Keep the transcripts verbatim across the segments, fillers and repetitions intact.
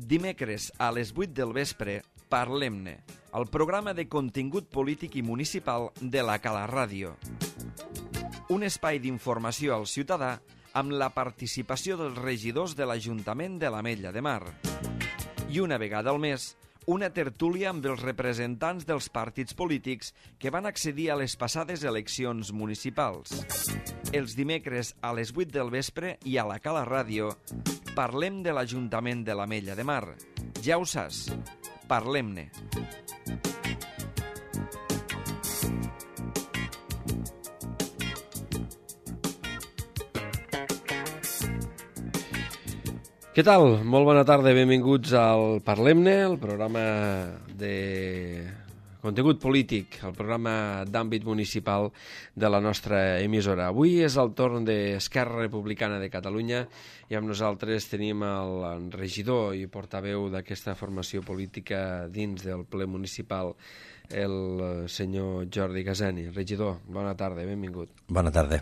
Dimecres a les vuit del vespre, Parlem-ne, el programa de contingut polític i municipal de la Cala Ràdio. Un espai d'informació al ciutadà amb la participació dels regidors de l'Ajuntament de l'Ametlla de Mar. I una vegada al mes, una tertúlia amb els representants dels partits polítics que van accedir a les passades eleccions municipals. Els dimecres a les vuit del vespre i a la Cala Ràdio parlem de l'Ajuntament de l'Ametlla de Mar. Ja ho saps, parlem-ne. Què tal? Molt bona tarda, benvinguts al Parlem-ne, el programa de contingut polític, el programa d'àmbit municipal de la nostra emissora. Avui és el torn d'Esquerra Republicana de Catalunya i amb nosaltres tenim el regidor i portaveu d'aquesta formació política dins del ple municipal, el senyor Jordi Gaseni. Regidor, bona tarda, benvingut. Bona tarda.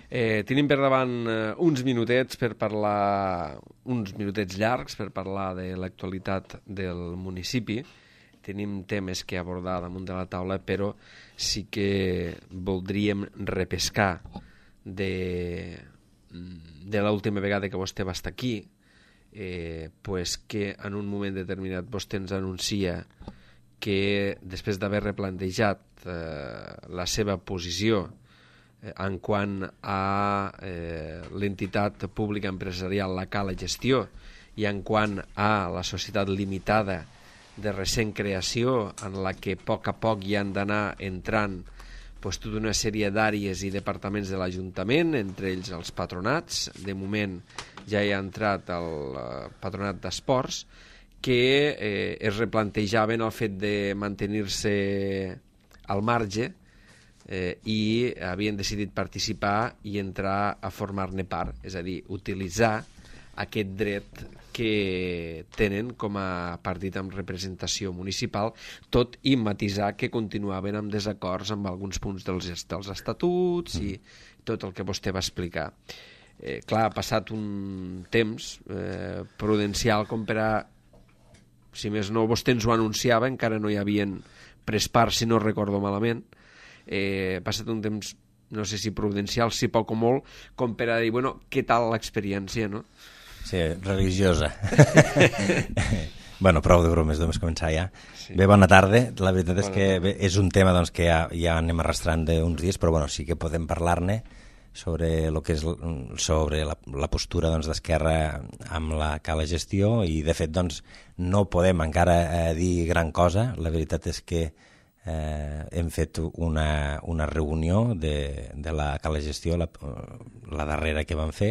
Eh, tenim per davant eh, uns minutets per parlar, uns minutets llargs per parlar de l'actualitat del municipi. Tenim temes que abordar damunt de la taula, però sí que voldríem repescar de, de l'última vegada que vostè va estar aquí, eh, pues que en un moment determinat vostè ens anuncia que després d'haver replantejat eh, la seva posició en quant a eh, l'entitat pública empresarial La Cala Gestió i en quant a la societat limitada de recent creació en la que a poc a poc hi han d'anar entrant pues, tota una sèrie d'àrees i departaments de l'Ajuntament, entre ells els patronats. De moment ja hi ha entrat el eh, patronat d'esports, que eh, es replantejaven el fet de mantenir-se al marge Eh, i havien decidit participar i entrar a formar-ne part, és a dir, utilitzar aquest dret que tenen com a partit amb representació municipal, tot i matisar que continuaven amb desacords amb alguns punts dels, dels estatuts i tot el que vostè va explicar. Eh, clar, ha passat un temps eh, prudencial com per a, si més no, vostè ens ho anunciava, encara no hi havien pres part, si no recordo malament. Eh, ha passat un temps, no sé si prudencial, si poc o molt, com per a dir, bueno, què tal l'experiència, no? Sí, religiosa. Bueno, prou de bromes, doncs començar ja. Sí. Bé, bona tarda. La veritat bona és que bé, és un tema doncs, que ja, ja anem arrastrant d'uns dies, però bueno, sí que podem parlar-ne sobre lo que és sobre la, la postura doncs, d'Esquerra amb la Cala Gestió i, de fet, doncs, no podem encara eh, dir gran cosa. La veritat és que Eh, hem fet una, una reunió de, de la Cala Gestió, la, la darrera que vam fer.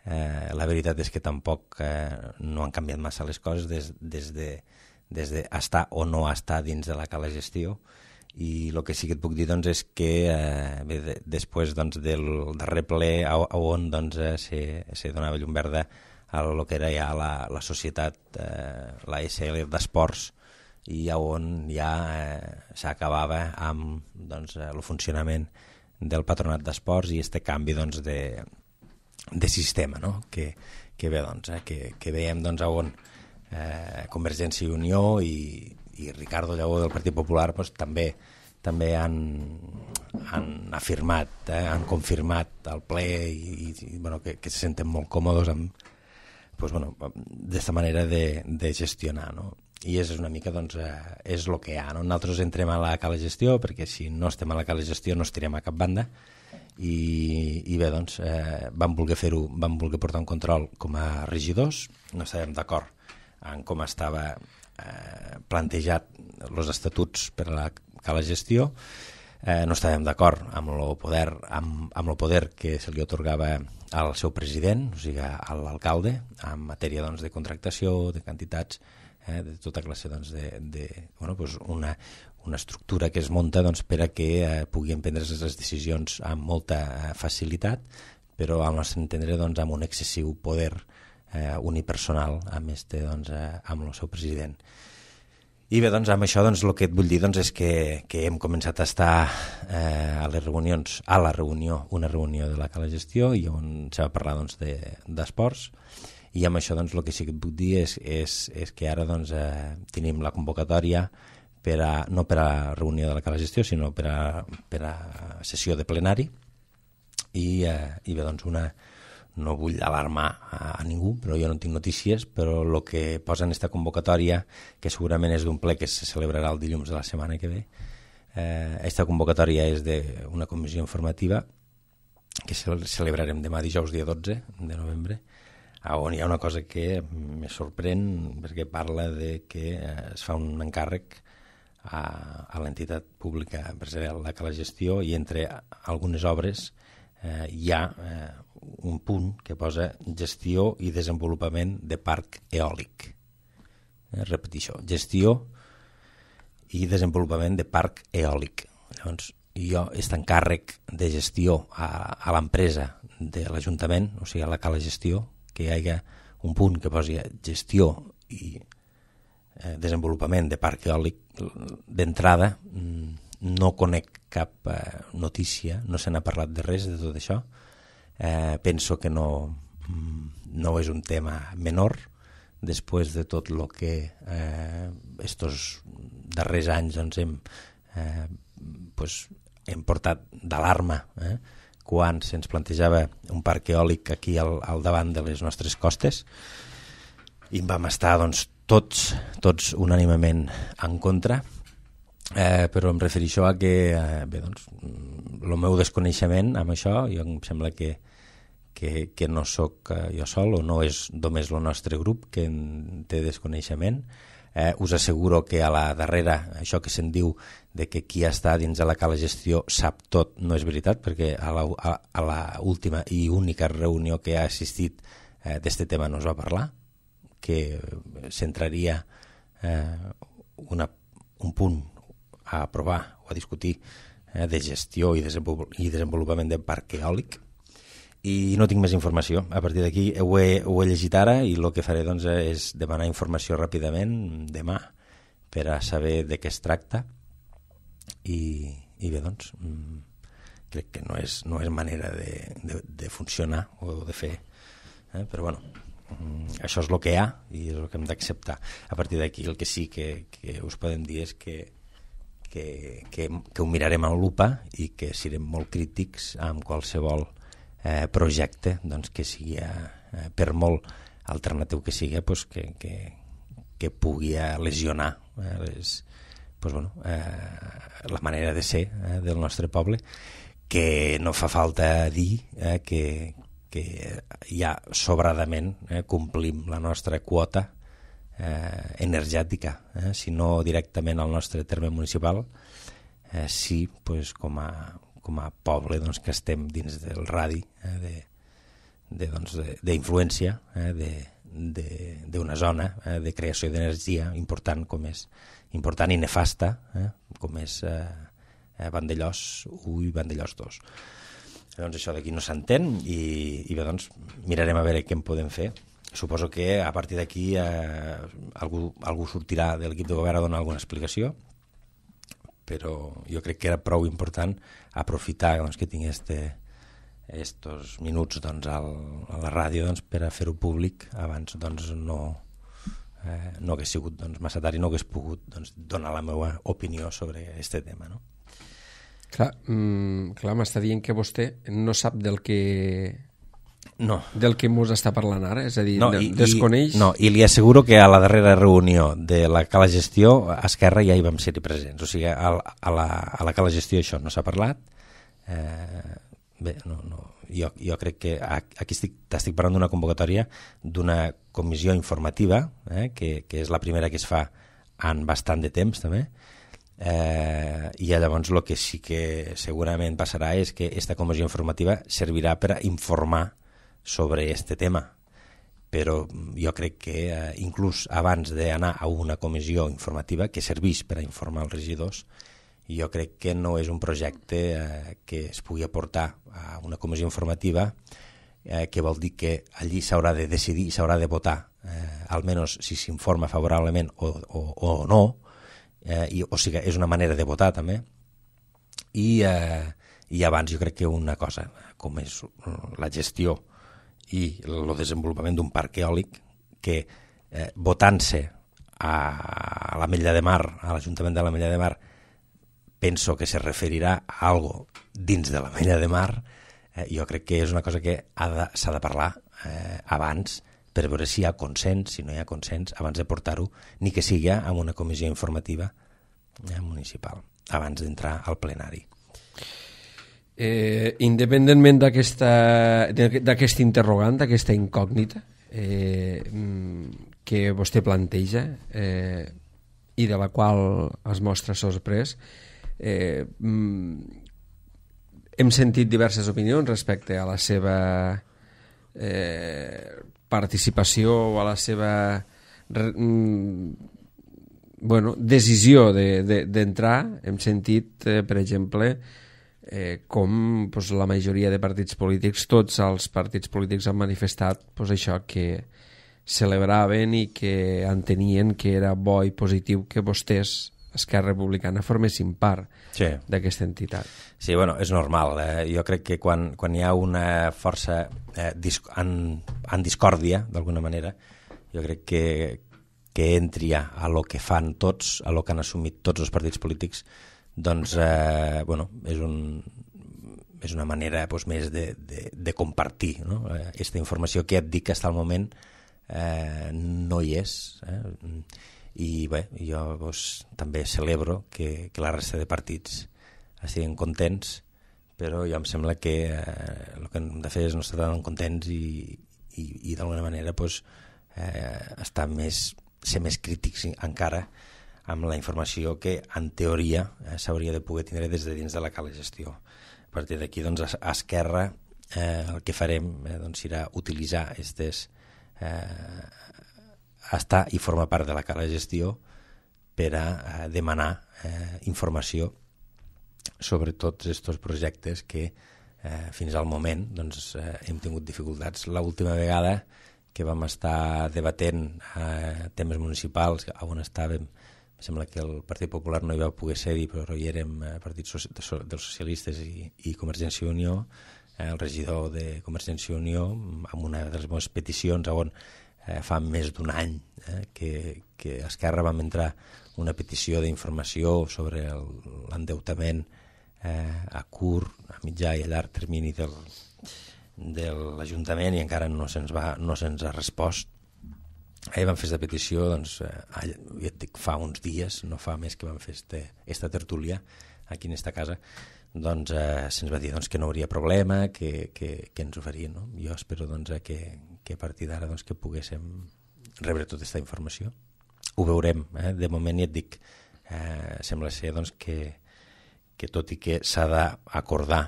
Eh, la veritat és que tampoc eh, no han canviat massa les coses des, des, de, des de estar o no estar dins de la Cala Gestió, i el que sí que et puc dir doncs, és que eh, bé, de, després doncs, del darrer ple a, a on doncs, eh, se, se donava llum verda a lo que era ja la, la societat, eh, la S L d'esports, i on ja eh, s'acabava amb doncs, el funcionament del patronat d'esports i este canvi doncs, de, de sistema, no? que, que bé, doncs, eh, que, que veiem doncs, on eh, Convergència i Unió i, i Ricardo Lleó del Partit Popular doncs, també també han, han afirmat, eh, han confirmat al ple i, i bueno, que, que se senten molt còmodes amb pues, bueno, d'esta manera de, de gestionar, no? I és una mica, doncs, eh, és el que hi ha, no? Nosaltres entrem a la Cala Gestió, perquè si no estem a la Cala Gestió no estirem a cap banda, i, i bé, doncs, eh, vam voler fer-ho, vam voler portar un control com a regidors, no estàvem d'acord en com estava eh, plantejat els estatuts per a la Cala Gestió, eh, no estàvem d'acord amb el poder, amb, amb el poder que se li atorgava al seu president, o sigui, a l'alcalde, en matèria doncs, de contractació, de quantitats, Eh, de tota classe doncs, de, de bueno, pues una, una estructura que es munta doncs, per a que eh, puguin prendre les decisions amb molta eh, facilitat, però al nostre entendre doncs, amb un excessiu poder eh, unipersonal amb, este, doncs, eh, amb el seu president. I bé, doncs, amb això doncs, el que et vull dir doncs, és que, que hem començat a estar eh, a les reunions, a la reunió, una reunió de la Cala Gestió, i on s'ha va parlar doncs, d'esports, I amb això doncs, el que sí que et puc dir és, és, és que ara doncs, eh, tenim la convocatòria per a, no per a reunió de la cala gestió, sinó per a, per a sessió de plenari. I, eh, i bé, doncs una, no vull alarmar a, a ningú, però jo no tinc notícies, però el que posa en aquesta convocatòria, que segurament és d'un ple que se celebrarà el dilluns de la setmana que ve, aquesta eh, convocatòria és d'una comissió informativa que celebrarem demà dijous dia dotze de novembre, on hi ha una cosa que me sorprèn perquè parla de que es fa un encàrrec a, a l'entitat pública empresarial de la gestió, i entre algunes obres eh, hi ha eh, un punt que posa gestió i desenvolupament de parc eòlic. Eh, repeteixo, gestió i desenvolupament de parc eòlic. Llavors, jo, aquest encàrrec de gestió a, a l'empresa de l'Ajuntament, o sigui, a la cala gestió, que hi hagi un punt que posi gestió i eh, desenvolupament de parc eòlic d'entrada, no conec cap eh, notícia, no se n'ha parlat de res de tot això. Eh, penso que no, no és un tema menor, després de tot el que eh, estos darrers anys doncs, hem, eh, pues, hem portat d'alarma eh, quan se'ns plantejava un parc eòlic aquí al, al davant de les nostres costes, i vam estar doncs, tots, tots unànimement en contra, eh, però em refereixo a que eh, bé, doncs, el meu desconeixement amb això, jo em sembla que Que, que no sóc eh, jo sol, o no és només el nostre grup que en té desconeixement. Eh, us asseguro que a la darrera, això que se'n diu de que qui està dins de la cala gestió sap tot, no és veritat, perquè a la, a, a la última i única reunió que ha assistit eh, d'este tema no es va parlar, que centraria eh, una, un punt a aprovar o a discutir eh, de gestió i, desenvol i desenvolupament del parc eòlic. I no tinc més informació. A partir d'aquí ho, he, ho he llegit ara, i el que faré doncs, és demanar informació ràpidament demà per a saber de què es tracta, i, i bé, doncs crec que no és, no és manera de, de, de funcionar o de fer, eh? Però bueno, això és el que hi ha i és el que hem d'acceptar. A partir d'aquí el que sí que, que us podem dir és que que, que, que ho mirarem amb lupa i que serem molt crítics amb qualsevol Eh, projecte doncs, que sigui, eh, per molt alternatiu que sigui, pues, que, que, que pugui lesionar eh, les, pues, bueno, eh, la manera de ser eh, del nostre poble, que no fa falta dir eh, que, que ja sobradament eh, complim la nostra quota eh, energètica, eh, si no directament al nostre terme municipal, eh, sí, pues, com a com a poble doncs, que estem dins del radi eh, de, de, doncs, d'influència eh, d'una zona eh, de creació d'energia important, com és important i nefasta, eh, com és eh, Vandellòs u i Vandellòs dos. Doncs això d'aquí no s'entén, i, i bé, doncs, mirarem a veure què en podem fer. Suposo que a partir d'aquí eh, algú, algú sortirà de l'equip de govern a donar alguna explicació, però jo crec que era prou important aprofitar doncs, que tinc estos minuts doncs, al, a la ràdio doncs, per a fer-ho públic. Abans doncs, no, eh, no hagués sigut doncs, massa tard i no hagués pogut doncs, donar la meva opinió sobre aquest tema. No? Clar, mm, clar m'està dient que vostè no sap del que... No. Del que mos està parlant ara, és a dir, no, i, I, desconeix... no, i li asseguro que a la darrera reunió de la cala gestió, a Esquerra ja hi vam ser-hi presents, o sigui, a, a, la, a la cala gestió això no s'ha parlat. Eh, bé, no, no, jo, jo crec que aquí estic, t'estic parlant d'una convocatòria d'una comissió informativa, eh, que, que és la primera que es fa en bastant de temps també, eh, i llavors el que sí que segurament passarà és que aquesta comissió informativa servirà per a informar sobre este tema, però jo crec que eh, inclús abans d'anar a una comissió informativa que serveix per a informar els regidors, jo crec que no és un projecte eh, que es pugui aportar a una comissió informativa, eh, que vol dir que allí s'haurà de decidir i s'haurà de votar, eh, almenys si s'informa favorablement o, o, o no, eh, i, o sigui, és una manera de votar també, i, eh, i abans jo crec que una cosa com és la gestió i el desenvolupament d'un parc eòlic que, eh, votant-se a, a l'Ametlla de Mar, a l'Ajuntament de l'Ametlla de Mar, penso que se referirà a algo dins de l'Ametlla de Mar, eh, jo crec que és una cosa que s'ha de, de parlar eh, abans, per veure si hi ha consens, si no hi ha consens, abans de portar-ho, ni que sigui en una comissió informativa eh, municipal, abans d'entrar al plenari. Eh, independentment d'aquest interrogant, d'aquesta incògnita eh, que vostè planteja eh, i de la qual es mostra sorprès, eh, hem sentit diverses opinions respecte a la seva eh, participació o a la seva bueno, decisió d'entrar. De, de, hem sentit, eh, per exemple, eh, com pues, la majoria de partits polítics, tots els partits polítics han manifestat pues, això, que celebraven i que entenien que era bo i positiu que vostès, Esquerra Republicana, formessin part sí. d'aquesta entitat. Sí, bueno, és normal. Eh? Jo crec que quan, quan hi ha una força eh, disc en, en discòrdia, d'alguna manera, jo crec que, que entri a, a lo que fan tots, a lo que han assumit tots els partits polítics, doncs, eh, bueno, és, un, és una manera pues, més de, de, de compartir, no? Aquesta informació que et dic que fins al moment eh, no hi és. Eh? I bé, jo pues, també celebro que, que la resta de partits estiguin contents, però jo em sembla que eh, el que hem de fer és no estar tan contents i, i, i d'alguna manera pues, eh, estar més, ser més crítics encara amb la informació que en teoria eh, s'hauria de poder tindre des de dins de la cala gestió. A partir d'aquí, doncs, a, a Esquerra eh, el que farem eh, doncs, serà utilitzar aquestes eh, estar i formar part de la cala gestió per a eh, demanar eh, informació sobre tots aquests projectes que eh, fins al moment doncs, eh, hem tingut dificultats. L'última vegada que vam estar debatent eh, temes municipals on estàvem, em sembla que el Partit Popular no hi va poder ser-hi, però hi érem eh, Partit so dels Socialistes i, i Convergència i Unió, eh, el regidor de Convergència i Unió, amb una de les meves peticions on Eh, fa més d'un any eh, que, que Esquerra vam entrar una petició d'informació sobre l'endeutament eh, a curt, a mitjà i a llarg termini del, de l'Ajuntament i encara no se'ns va, no se'ns ha respost. Ahir vam fer aquesta petició, doncs, eh, ja et dic, fa uns dies, no fa més que vam fer este, esta tertúlia aquí en esta casa, doncs eh, se'ns va dir doncs, que no hauria problema, que, que, que ens ho farien. No? Jo espero doncs, que, que a partir d'ara doncs, que poguéssim rebre tota aquesta informació. Ho veurem, eh? De moment ja et dic, eh, sembla ser doncs, que, que tot i que s'ha d'acordar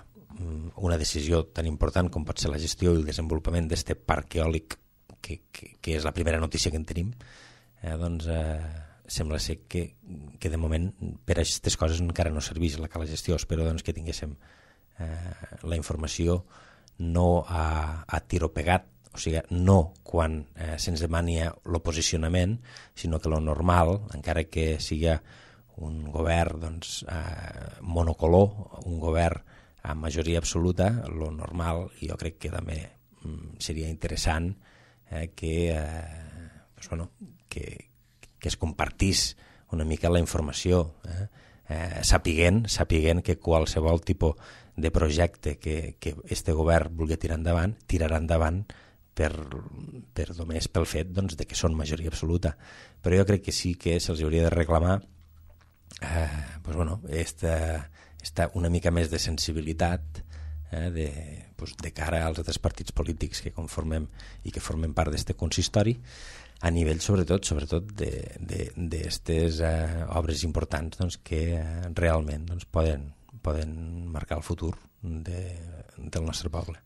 una decisió tan important com pot ser la gestió i el desenvolupament d'aquest parc eòlic, que, que, que és la primera notícia que en tenim, eh, doncs eh, sembla ser que, que de moment per a aquestes coses encara no serveix la cala gestió. Espero doncs, que tinguéssim eh, la informació no a, a tiro pegat, o sigui, no quan eh, se'ns demani el posicionament, sinó que lo normal, encara que sigui un govern doncs, eh, monocolor, un govern amb majoria absoluta, lo normal, i jo crec que també mm, seria interessant eh, que, eh, pues, bueno, que, que es compartís una mica la informació, eh? Eh, sapiguent, sapiguent que qualsevol tipus de projecte que, que este govern vulgui tirar endavant, tirarà endavant per, per només pel fet doncs, de que són majoria absoluta. Però jo crec que sí que se'ls hauria de reclamar eh, pues, bueno, esta, esta una mica més de sensibilitat eh, de, pues, de cara als altres partits polítics que conformem i que formem part d'aquest consistori, a nivell sobretot sobretot d'aquestes eh, obres importants doncs, que eh, realment doncs, poden, poden marcar el futur de, del nostre poble.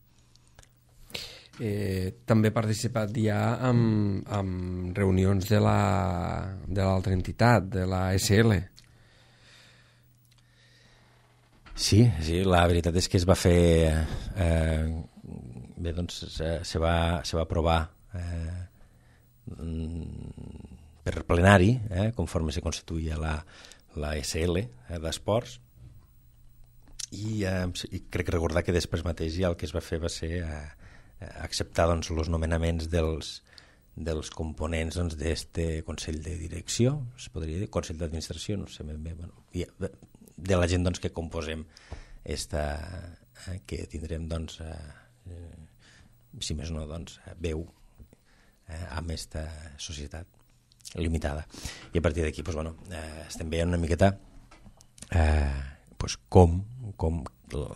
Eh, també ha participat ja en, en reunions de la de l'altra entitat, de la S L. Sí, sí, la veritat és que es va fer eh, bé, doncs se, se, va, se va aprovar eh, per plenari, eh, conforme se constituïa la, la S L eh, d'Esports, i, eh, i crec recordar que després mateix ja el que es va fer va ser eh, acceptar doncs, els nomenaments dels, dels components doncs, d'este Consell de Direcció, es podria dir, Consell d'Administració, no sé ben bé, bueno, de la gent doncs, que composem esta, eh, que tindrem, doncs, eh, si més no, doncs, veu eh, amb aquesta societat limitada. I a partir d'aquí doncs, bueno, eh, estem veient una miqueta eh, doncs, com, com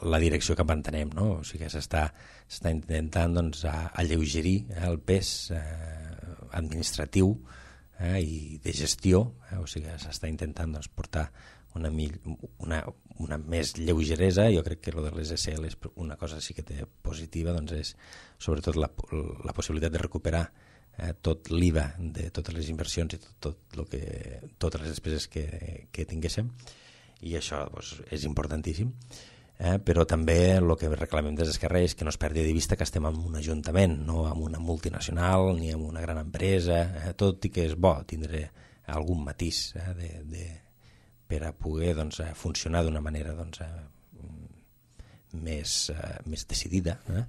la direcció que mantenem, no? O sigui que s'està s'està intentant doncs, alleugerir eh, el pes eh, administratiu eh, i de gestió, eh, o sigui que s'està intentant doncs, portar una, una, una més lleugeresa. Jo crec que lo de les S L és una cosa sí que té positiva, doncs és sobretot la, la possibilitat de recuperar eh, tot l'I V A de totes les inversions i tot, tot lo que, totes les despeses que, que tinguéssim, i això doncs, és importantíssim. Eh, però també el que reclamem des d'Esquerra és que no es perdi de vista que estem en un ajuntament, no en una multinacional ni en una gran empresa, eh, tot i que és bo tindre algun matís eh, de, de, per a poder doncs, funcionar d'una manera doncs, eh, més, eh, més decidida, eh?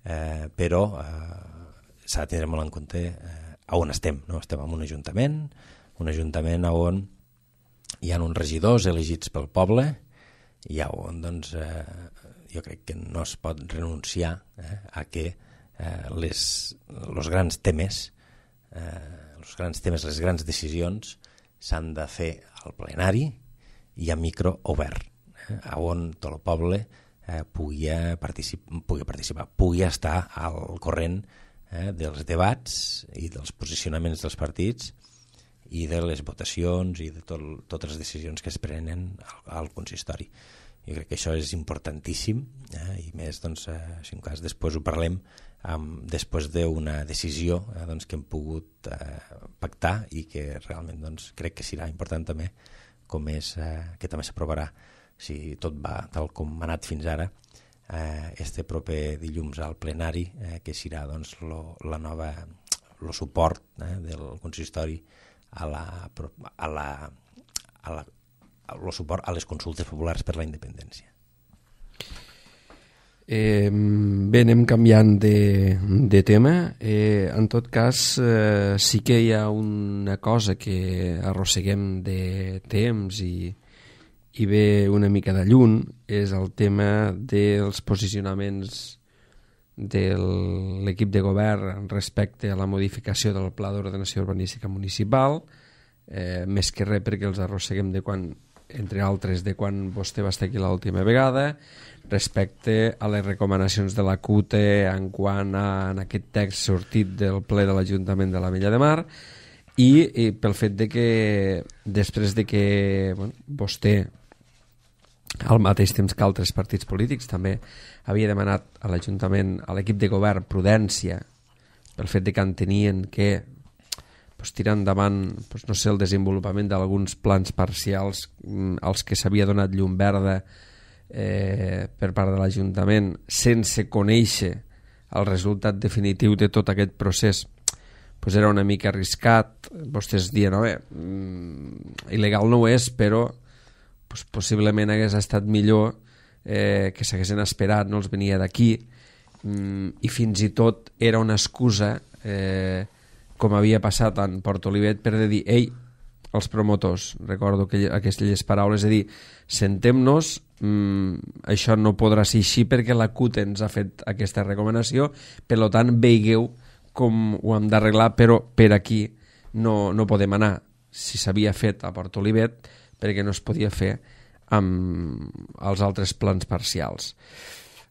Eh, però eh, s'ha de tenir molt en compte eh, on estem, no? Estem en un ajuntament, un ajuntament on hi ha uns regidors elegits pel poble, i on doncs, eh, jo crec que no es pot renunciar eh, a que eh, les, els grans temes, eh, els grans temes, les grans decisions s'han de fer al plenari i a micro obert, eh, on tot el poble eh, pugui, particip pugui participar, pugui estar al corrent eh, dels debats i dels posicionaments dels partits i de les votacions i de tot, totes les decisions que es prenen al, al consistori. Jo crec que això és importantíssim, eh, i més, doncs, eh, si en cas després ho parlem, um, després d'una decisió eh, doncs, que hem pogut eh, pactar i que realment doncs, crec que serà important també, com és eh, que també s'aprovarà, si tot va tal com ha anat fins ara, eh, este proper dilluns al plenari, eh, que serà doncs, lo, la nova, el suport eh, del consistori a la, a la, a la, el suport a les consultes populars per la independència. Eh, bé, anem canviant de, de tema. Eh, en tot cas, eh, sí que hi ha una cosa que arrosseguem de temps i, i ve una mica de lluny, és el tema dels posicionaments de l'equip de govern respecte a la modificació del Pla d'Ordenació Urbanística Municipal, eh, més que res perquè els arrosseguem de quan, entre altres, de quan vostè va estar aquí l'última vegada, respecte a les recomanacions de la C U T E en quant a en aquest text sortit del ple de l'Ajuntament de l'Ametlla de Mar, i, i pel fet de que després de que bueno, vostè, al mateix temps que altres partits polítics, també havia demanat a l'Ajuntament, a l'equip de govern, prudència pel fet de que entenien que pues, tirar endavant pues, no sé, el desenvolupament d'alguns plans parcials mm, als que s'havia donat llum verda eh, per part de l'Ajuntament sense conèixer el resultat definitiu de tot aquest procés, pues, era una mica arriscat. Vostès diuen, no, bé, mm, il·legal no ho és, però pues, possiblement hagués estat millor eh, que s'haguessin esperat, no els venia d'aquí, mm, i fins i tot era una excusa, eh, com havia passat en Port Olivet, per dir, ei, els promotors, recordo que aquestes paraules, és a dir, sentem-nos, mm, això no podrà ser així perquè la C U T E ens ha fet aquesta recomanació, per tant, veigueu com ho hem d'arreglar, però per aquí no, no podem anar. Si s'havia fet a Port Olivet, perquè no es podia fer amb els altres plans parcials.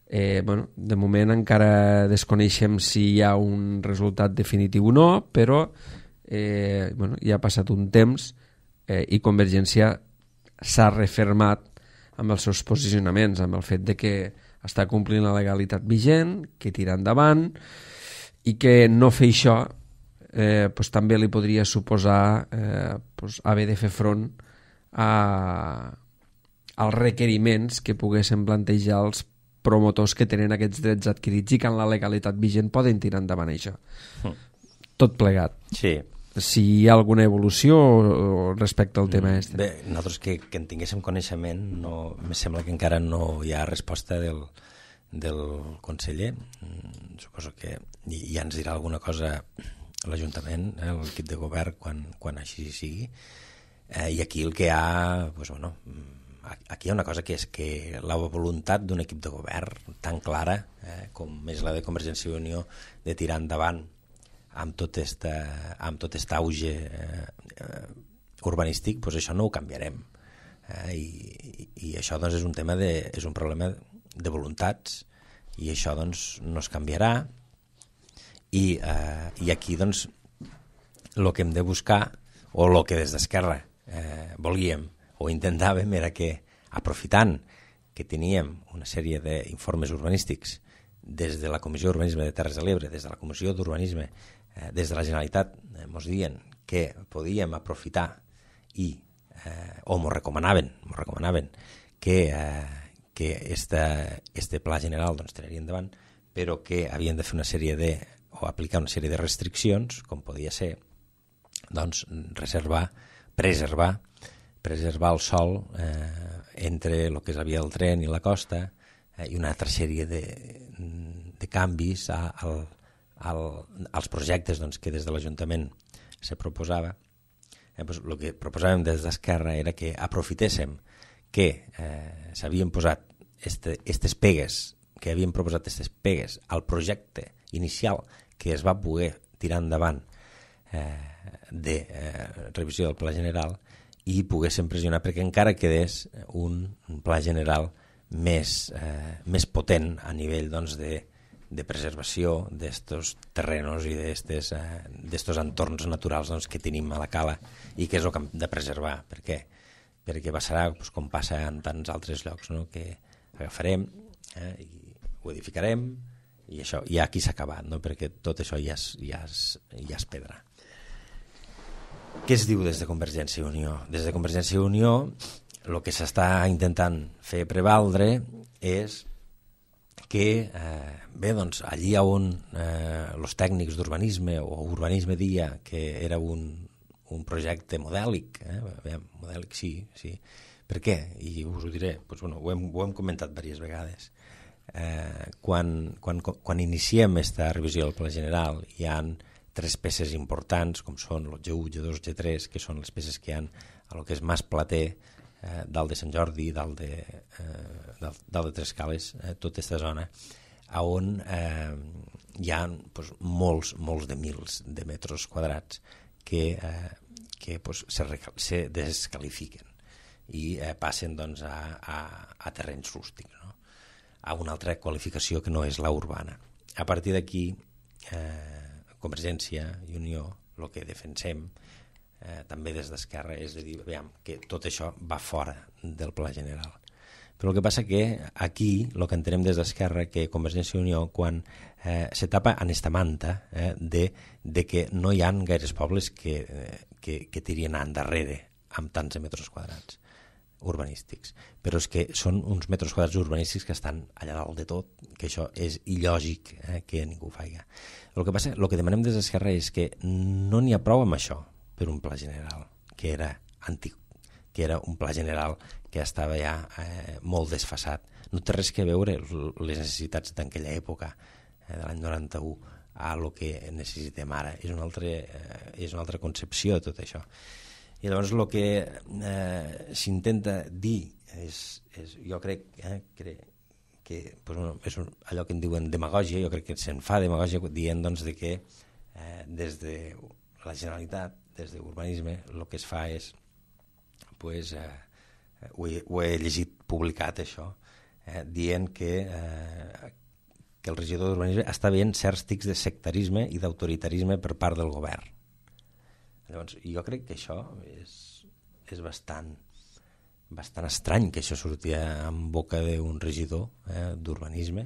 Eh, bueno, de moment encara desconeixem si hi ha un resultat definitiu o no, però eh, bueno, ja ha passat un temps eh, i Convergència s'ha refermat amb els seus posicionaments, amb el fet de que està complint la legalitat vigent, que tira endavant, i que no fer això eh, pues, també li podria suposar eh, pues, haver de fer front a, als requeriments que poguessin plantejar els promotors que tenen aquests drets adquirits i que en la legalitat vigent poden tirar endavant això. Mm. Tot plegat. Sí. Si hi ha alguna evolució respecte al tema este. Bé, nosaltres que, que en tinguéssim coneixement, no, me sembla que encara no hi ha resposta del, del conseller. suposo que ja ens dirà alguna cosa l'Ajuntament, eh, l'equip de govern, quan, quan així sigui. Eh, I aquí el que hi ha, doncs, bueno, aquí hi ha una cosa que és que la voluntat d'un equip de govern tan clara, eh, com és la de Convergència i Unió, de tirar endavant amb tot este, amb tot este auge eh, eh, urbanístic, doncs això no ho canviarem. Eh, i, I això doncs, és un tema de, és un problema de voluntats, i això doncs, no es canviarà. I, eh, i aquí doncs, el que hem de buscar, o el que des d'Esquerra eh, volíem o intentàvem, era que, aprofitant que teníem una sèrie d'informes urbanístics des de la Comissió d'Urbanisme de Terres de l'Ebre, des de la Comissió d'Urbanisme, eh, des de la Generalitat, eh, mos dient que podíem aprofitar i, eh, o mos recomanaven, mos recomanaven que, eh, que esta, este pla general doncs, tiraria endavant, però que havien de fer una sèrie de, o aplicar una sèrie de restriccions, com podia ser doncs, reservar, preservar, preservar el sòl eh, entre el que és la via del tren i la costa, eh, i una altra sèrie de, de canvis a, al, al, als projectes doncs, que des de l'Ajuntament se proposava. Eh, doncs, el que proposàvem des d'Esquerra era que aprofitéssim que eh, s'havien posat este, estes pegues, que havien proposat aquestes pegues al projecte inicial que es va poder tirar endavant eh, de eh, revisió del Pla General, i poguéssim pressionar perquè encara quedés un, un pla general més, eh, més potent a nivell doncs, de, de preservació d'estos terrenos i d'estos eh, entorns naturals doncs, que tenim a la cala, i que és el que hem de preservar. Per què? Perquè passarà doncs, com passa en tants altres llocs, no? Que agafarem eh, i ho edificarem, i això ja aquí s'ha acabat, no? Perquè tot això ja és, ja és, ja és pedra. Què es diu des de Convergència i Unió? Des de Convergència i Unió el que s'està intentant fer prevaldre és que, eh, bé, doncs, allí on eh, els tècnics d'urbanisme o urbanisme dia que era un, un projecte modèlic, eh, bé, modèlic sí, sí. Per què? I us ho diré, doncs, bueno, ho, hem, ho hem comentat diverses vegades. Eh, quan, quan, quan iniciem aquesta revisió del Pla General hi ha tres peces importants, com són el G u, G dos, G tres, que són les peces que hi ha a lo que és Mas Plater, eh, dalt de Sant Jordi, dalt de, eh, dalt, dalt de Tres Cales, eh, tota aquesta zona, on eh, hi ha pues, molts, molts de mils de metres quadrats que, eh, que pues, se, se descalifiquen i eh, passen doncs, a, a, a terrenys rústics, no? A una altra qualificació que no és la urbana. A partir d'aquí, eh, Convergència i Unió, el que defensem eh, també des d'Esquerra és de dir veiem, que tot això va fora del Pla General. Però el que passa que aquí el que entenem des d'Esquerra que Convergència i Unió quan eh, se tapa en esta manta eh, de, de que no hi ha gaires pobles que, eh, que, que tirien endarrere amb tants de metres quadrats urbanístics, però és que són uns metres quadrats urbanístics que estan allà dalt de tot, que això és il·lògic eh, que ningú ho faci. El que passa, el que demanem des d'Esquerra és que no n'hi ha prou amb això per un pla general, que era antic, que era un pla general que estava ja eh, molt desfasat. No té res que veure les necessitats d'aquella època, eh, de l'any noranta-u, a el que necessitem ara. És una altra, eh, és una altra concepció de tot això. I llavors el que eh, s'intenta dir és, és jo crec eh, que, que pues, bueno, és un, allò que en diuen demagògia, jo crec que se'n fa demagògia dient doncs, de que eh, des de la Generalitat, des d'urbanisme, el que es fa és pues, eh, ho, he, ho he llegit publicat això, eh, dient que, eh, que el regidor d'urbanisme està veient certs tics de sectarisme i d'autoritarisme per part del govern. Llavors, jo crec que això és, és bastant, bastant estrany que això sortia en boca d'un regidor eh, d'urbanisme,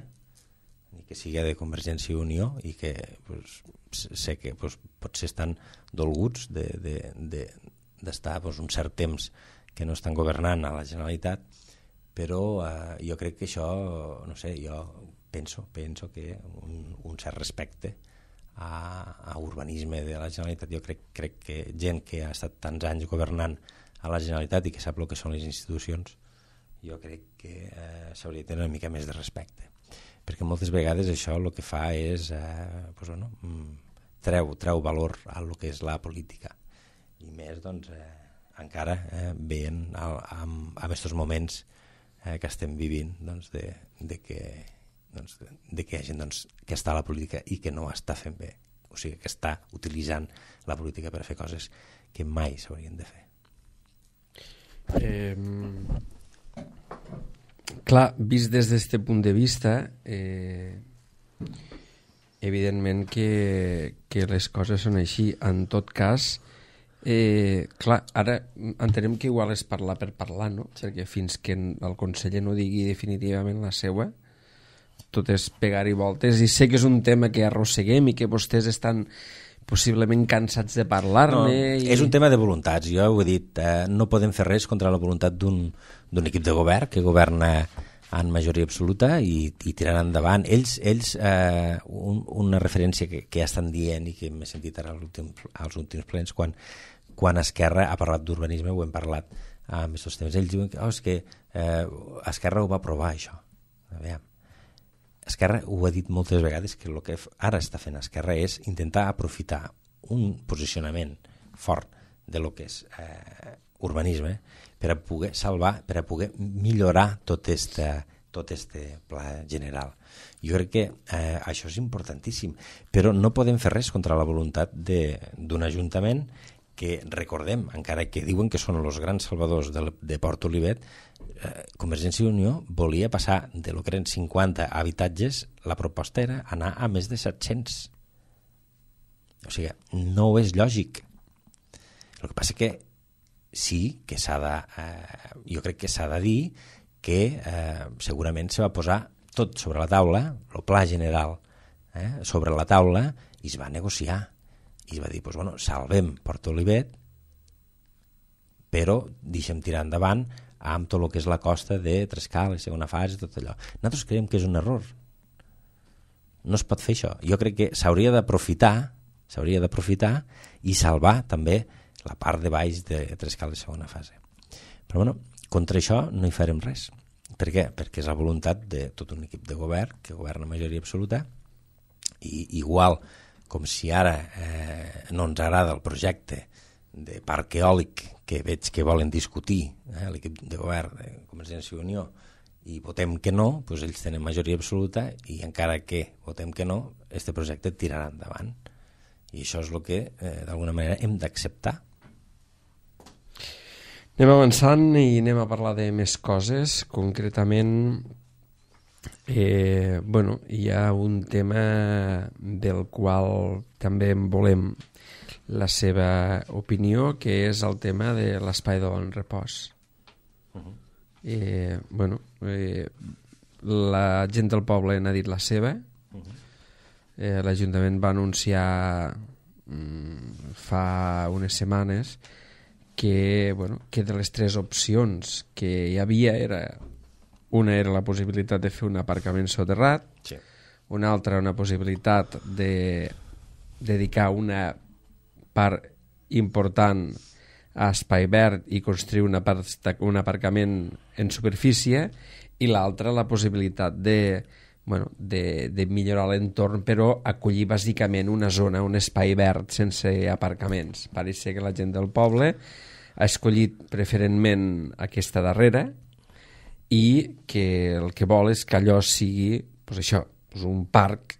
i que sigui de Convergència i Unió, i que pues, sé que pues, potser estan dolguts d'estar de, de, de, pues, un cert temps que no estan governant a la Generalitat, però eh, jo crec que això, no sé, jo penso, penso que un, un cert respecte A, a urbanisme de la Generalitat, jo crec, crec que gent que ha estat tants anys governant a la Generalitat i que sap el que són les institucions, jo crec que eh, s'hauria de tenir una mica més de respecte. perquè moltes vegades això el que fa és eh, pues, bueno, treu, treu valor a lo que és la política, i més doncs eh, encara eh, veient amb aquests moments eh, que estem vivint doncs, de, de, que, doncs, de, de que hi ha gent doncs, que està a la política i que no està fent bé, o sigui que està utilitzant la política per fer coses que mai s'haurien de fer. Eh, clar, vist des d'aquest punt de vista, eh, evidentment que, que les coses són així. En tot cas, eh, clar, ara entenem que igual és parlar per parlar, no? Perquè fins que el conseller no digui definitivament la seua, tot és pegar-hi voltes, i sé que és un tema que arrosseguem i que vostès estan possiblement cansats de parlar-ne. No, i... És un tema de voluntats, jo ho he dit, eh, no podem fer res contra la voluntat d'un equip de govern que governa en majoria absoluta i, i tiraran endavant. Ells, ells eh, un, una referència que, que ja estan dient i que m'he sentit ara als últims plens, quan, quan Esquerra ha parlat d'urbanisme, ho hem parlat amb aquests temes, ells diuen que oh, és que eh, Esquerra ho va aprovar, això. A veure, Esquerra ho ha dit moltes vegades, que el que ara està fent Esquerra és intentar aprofitar un posicionament fort de lo que és eh, urbanisme per a poder salvar, per a poder millorar tot este, tot este pla general. Jo crec que eh, això és importantíssim, però no podem fer res contra la voluntat d'un ajuntament que, recordem, encara que diuen que són els grans salvadors de, de Port Olivet, eh, Convergència i Unió volia passar de lo que eren cinquanta habitatges, la proposta era anar a més de set-cents. O sigui, no és lògic. El que passa que sí que s'ha de... Eh, jo crec que s'ha de dir que eh, segurament se va posar tot sobre la taula, el pla general eh, sobre la taula, i es va negociar. I es va dir, pues, bueno, salvem Port Olivet, però deixem tirar endavant amb tot el que és la costa de Trescal, la segona fase, tot allò. Nosaltres creiem que és un error. No es pot fer això. Jo crec que s'hauria d'aprofitar, s'hauria d'aprofitar i salvar també la part de baix de Trescal de segona fase. Però bueno, contra això no hi farem res. Per què? Perquè és la voluntat de tot un equip de govern, que governa majoria absoluta, i igual com si ara eh, no ens agrada el projecte de parc eòlic que veig que volen discutir eh, l'equip de govern de Convergència i Unió, i votem que no, doncs ells tenen majoria absoluta i encara que votem que no, este projecte tirarà endavant. I això és el que eh, d'alguna manera hem d'acceptar. Anem avançant i anem a parlar de més coses. Concretament, eh, bueno, hi ha un tema del qual també en volem la seva opinió, que és el tema de l'espai de bon repòs. Uh-huh. eh, bueno, eh, la gent del poble n'ha dit la seva. Uh-huh. eh, l'Ajuntament va anunciar mm, fa unes setmanes que, bueno, que de les tres opcions que hi havia era, una era la possibilitat de fer un aparcament soterrat, sí. Una altra una possibilitat de dedicar una part important a espai verd i construir una part, un aparcament en superfície, i l'altra la possibilitat de, bueno, de, de millorar l'entorn, però acollir bàsicament una zona, un espai verd sense aparcaments. Pareix ser que la gent del poble ha escollit preferentment aquesta darrera i que el que vol és que allò sigui pues això, pues un parc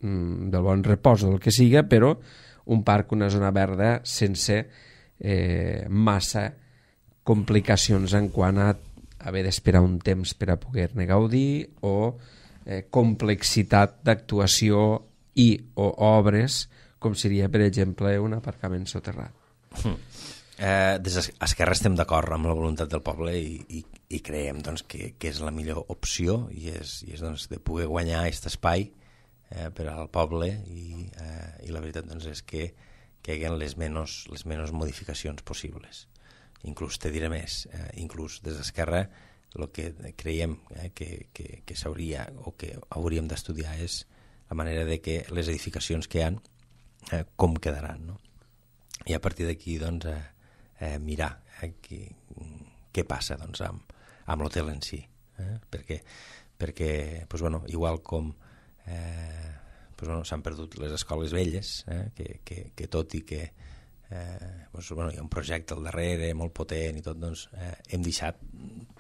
mm, del bon repòs o del que siga, però un parc, una zona verda sense eh, massa complicacions en quant a haver d'esperar un temps per a poder-ne gaudir o eh, complexitat d'actuació i o obres com seria, per exemple, un aparcament soterrat. Mm. Eh, des d'Esquerra estem d'acord amb la voluntat del poble i, i, i creiem doncs, que, que és la millor opció i és, i és doncs, de poder guanyar aquest espai eh, per al poble i, eh, i la veritat doncs, és que, que hi haguen les menys, les menys modificacions possibles. Inclús te diré més, eh, inclús des d'Esquerra el que creiem eh, que, que, que s'hauria o que hauríem d'estudiar és la manera de que les edificacions que hi ha eh, com quedaran, no? I a partir d'aquí doncs, eh, eh, mirar eh, qui, què passa doncs, amb, amb l'hotel en si, eh? Perquè perquè doncs, bueno, igual com eh, doncs, bueno, s'han perdut les escoles velles, eh, que, que, que tot i que eh, doncs, bueno, hi ha un projecte al darrere molt potent i tot, doncs eh, hem deixat,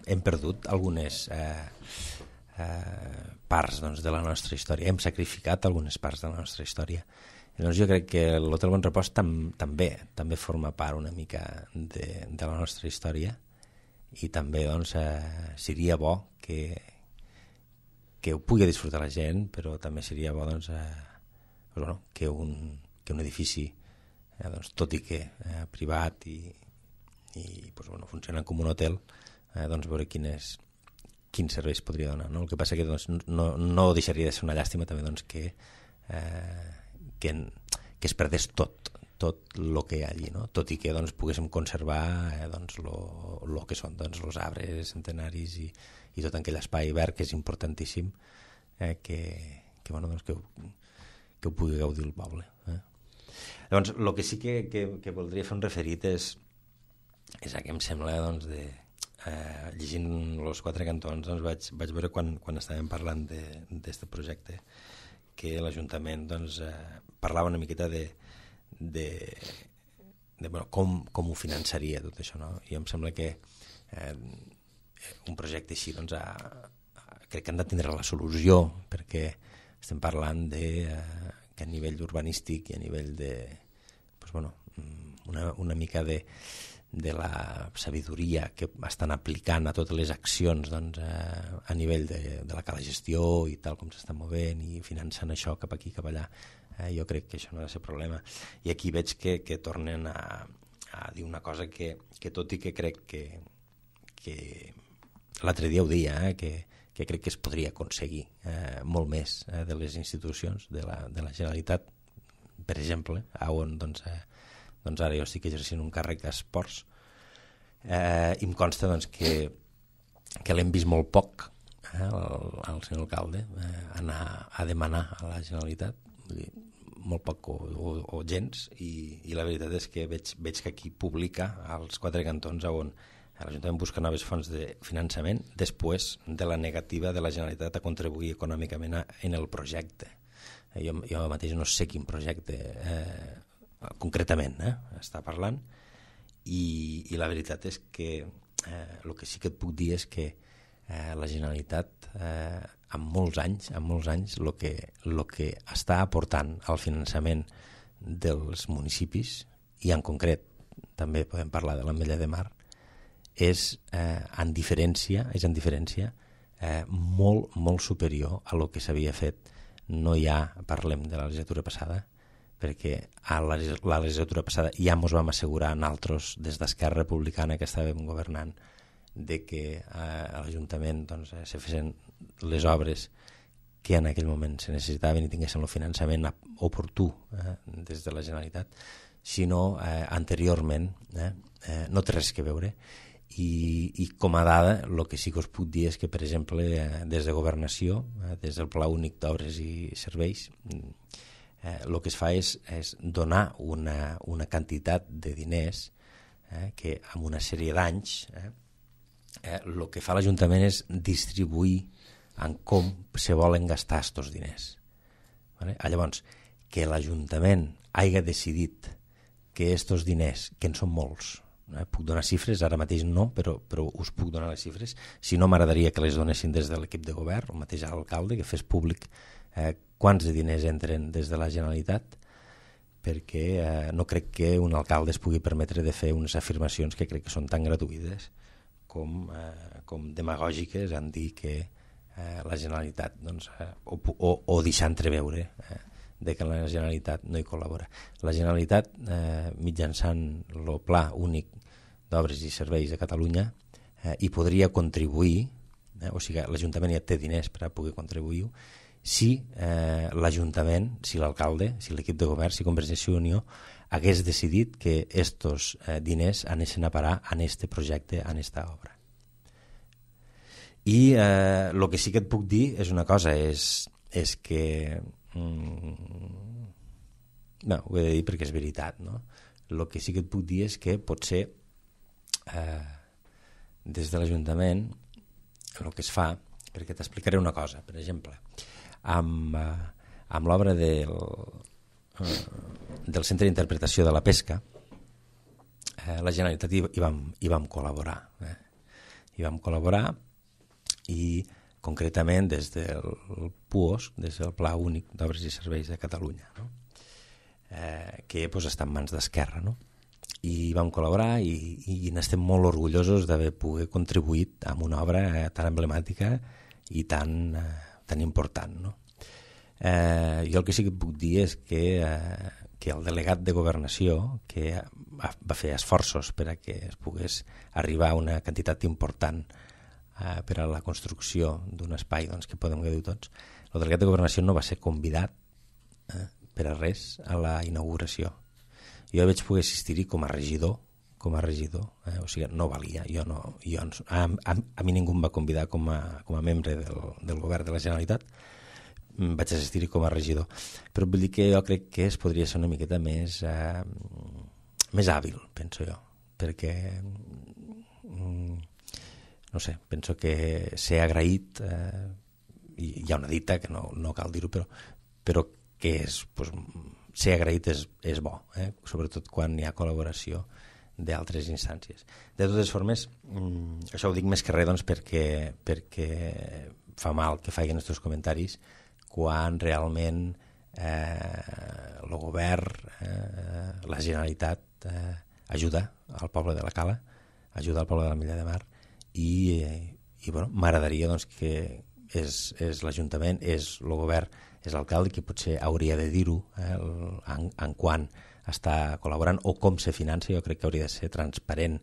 hem perdut algunes eh, eh, parts doncs, de la nostra història, hem sacrificat algunes parts de la nostra història. I doncs jo crec que l'Hotel Bon Repòs tam, també també forma part una mica de, de la nostra història i també doncs, eh, seria bo que, que ho pugui disfrutar la gent, però també seria bo doncs, eh, doncs, bueno, que, un, que un edifici, eh, doncs, tot i que eh, privat i, i doncs, bueno, funcionant com un hotel, eh, doncs veure quines, quins serveis podria donar. No? El que passa que doncs, no, no deixaria de ser una llàstima també doncs, que eh, Que, que es perdés tot tot el que hi ha allí, no? Tot i que doncs, poguéssim conservar eh, doncs, lo, lo que són doncs, els arbres centenaris i, i tot aquell espai verd que és importantíssim eh, que, que, bueno, doncs, que, que ho pugui gaudir el poble. Eh? Llavors, el que sí que, que, que voldria fer un referit és, és a què em sembla doncs, de, eh, llegint els quatre cantons doncs, vaig, vaig veure quan, quan estàvem parlant d'aquest projecte que l'Ajuntament doncs, eh, parlava una miqueta de, de, de bueno, com, com ho finançaria tot això, no? I em sembla que eh, un projecte així doncs, a, a, crec que han de tindre la solució, perquè estem parlant de, eh, que a nivell urbanístic i a nivell de doncs, bueno, una, una mica de de la sabidoria que estan aplicant a totes les accions doncs, eh, a nivell de, de la cala gestió i tal com s'estan movent i finançant això cap aquí, cap allà. Eh, jo crec que això no ha de ser problema. I aquí veig que, que tornen a, a dir una cosa que, que tot i que crec que, que l'altre dia ho dia, eh, que, que crec que es podria aconseguir eh, molt més eh, de les institucions de la, de la Generalitat, per exemple, on doncs, eh, doncs ara jo estic exercint un càrrec a esports eh, i em consta doncs, que, que l'hem vist molt poc eh, el, el senyor alcalde eh, anar a demanar a la Generalitat, vull dir, molt poc o, o, o gens, i, i la veritat és que veig, veig que aquí publica als quatre cantons on l'Ajuntament busca noves fonts de finançament després de la negativa de la Generalitat a contribuir econòmicament a, en el projecte. Eh, jo, jo mateix no sé quin projecte eh, concretament eh, està parlant i, i la veritat és que eh, el que sí que et puc dir és que eh, la Generalitat eh, en molts anys en molts anys el que, lo que està aportant al finançament dels municipis i en concret també podem parlar de l'Ametlla de Mar és eh, en diferència és en diferència eh, molt, molt superior a lo que s'havia fet. No ja parlem de la legislatura passada, perquè a la, la legislatura passada ja ens vam assegurar nosaltres des d'Esquerra Republicana que estàvem governant de que eh, a l'Ajuntament doncs, eh, se fessin les obres que en aquell moment se necessitaven i tinguessin el finançament oportú eh, des de la Generalitat, sinó eh, anteriorment eh, eh, no té res que veure. I, i com a dada el que sí que us puc dir és que per exemple eh, des de Governació, eh, des del Pla Únic d'Obres i Serveis eh, el que es fa és, és donar una, una quantitat de diners eh, que en una sèrie d'anys eh, eh, el que fa l'Ajuntament és distribuir en com se volen gastar aquests diners. Vale? Llavors, que l'Ajuntament hagi decidit que aquests diners, que en són molts, Eh, puc donar xifres, ara mateix no, però, però us puc donar les xifres. Si no, m'agradaria que les donessin des de l'equip de govern, el mateix alcalde, que fes públic eh, quants de diners entren des de la Generalitat, perquè eh, no crec que un alcalde es pugui permetre de fer unes afirmacions que crec que són tan gratuïtes com, eh, com demagògiques en dir que eh, la Generalitat doncs, eh, o, o, o deixar entreveure eh, de que la Generalitat no hi col·labora. La Generalitat, eh, mitjançant el Pla Únic d'Obres i Serveis de Catalunya, eh, hi podria contribuir, eh, o sigui, l'Ajuntament ja té diners per a poder contribuir, si eh, l'Ajuntament, si l'alcalde, si l'equip de govern, si Convergència i Unió hagués decidit que estos eh, diners anessin a parar en este projecte, en esta obra. I el eh, que sí que et puc dir és una cosa, és, és que no, ho he de dir perquè és veritat, no? El que sí que et puc dir és que potser eh, des de l'Ajuntament el que es fa, perquè t'explicaré una cosa. Per exemple, amb, eh, amb l'obra del, eh, del Centre d'Interpretació de la Pesca, eh, la Generalitat hi, hi, vam, hi vam col·laborar. Eh? Hi vam col·laborar i concretament des del P U O S, des del Pla Únic d'Obres i Serveis de Catalunya, no? eh, que pues, està en mans d'Esquerra, no? I vam col·laborar i, i n'estem molt orgullosos d'haver pogut contribuït amb una obra eh, tan emblemàtica i tan, eh, tan important, no? Eh, jo el que sí que puc dir és que, eh, que el delegat de Governació, que va fer esforços per a que es pogués arribar a una quantitat important eh, per a la construcció d'un espai doncs, que podem gaudir tots, el delegat de Governació no va ser convidat eh, per a res a la inauguració. Jo vaig poder assistir-hi com a regidor, com a regidor, eh? O sigui, no valia, jo no, jo, a, a, a mi ningú em va convidar com a, com a membre del, del govern de la Generalitat, vaig assistir-hi com a regidor, però vull dir que jo crec que es podria ser una miqueta més, eh, més hàbil, penso jo, perquè mm, no sé, penso que ser agraït, eh, hi ha una dita que no, no cal dir-ho, però, però que és, pues, ser agraït és, és bo, eh? Sobretot quan hi ha col·laboració d'altres instàncies. De totes formes, mm, això ho dic més que res doncs, perquè, perquè fa mal que facin aquests comentaris quan realment eh, el govern, eh, la Generalitat eh, ajuda al poble de la Cala, ajuda al poble de l'Ametlla de Mar i, eh, i bueno, m'agradaria doncs, que és, és l'Ajuntament, és el govern, és l'alcalde qui potser hauria de dir-ho eh, en, en quan està col·laborant o com se finança. Jo crec que hauria de ser transparent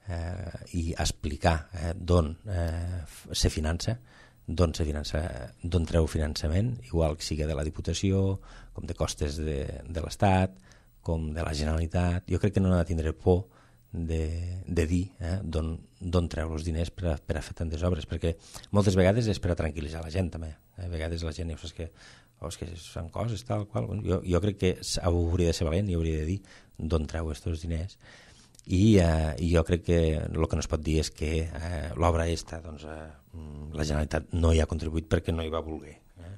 eh, i explicar eh, d'on eh, se finança, d'on se finança, d'on treu finançament, igual que sigui de la Diputació, com de costes de, de l'Estat, com de la Generalitat. Jo crec que no ha de tindre por de, de dir eh, d'on treu els diners per a, per a fer tantes obres, perquè moltes vegades és per a tranquil·litzar la gent també. A vegades la gent ja saps que, oh, és que fan coses tal qual. Bueno, jo, jo crec que hauria de ser valent i hauria de dir d'on treu aquests diners. I, eh, i jo crec que el que no es pot dir és que eh, l'obra aquesta doncs, eh, la Generalitat no hi ha contribuït perquè no hi va voler. Eh?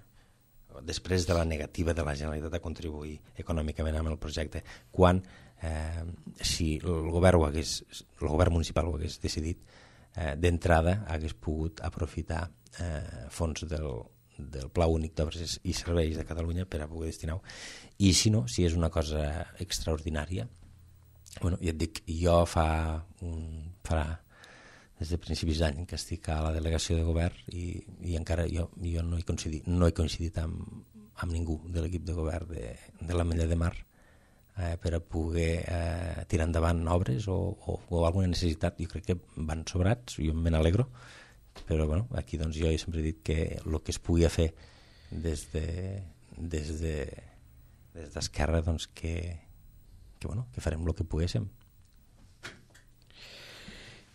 Després de la negativa de la Generalitat a contribuir econòmicament amb el projecte, quan eh, si el govern, ho hagués, el govern municipal ho hagués decidit, eh, d'entrada hagués pogut aprofitar eh, fons del, del Pla Únic d'Obres i Serveis de Catalunya per a poder destinar-ho. I si no, si és una cosa extraordinària, bueno, ja et dic, jo fa, un, farà des de principis d'any que estic a la delegació de govern i, i encara jo, jo no he coincidit, no he coincidit amb, amb ningú de l'equip de govern de, de l'Ametlla de Mar eh, per a poder eh, tirar endavant obres o, o, o alguna necessitat. Jo crec que van sobrats, jo me n'alegro, però bueno, aquí doncs, jo he sempre dit que el que es pugui fer des de, des de, des d'Esquerra doncs, que que, bueno, que farem el que poguéssim.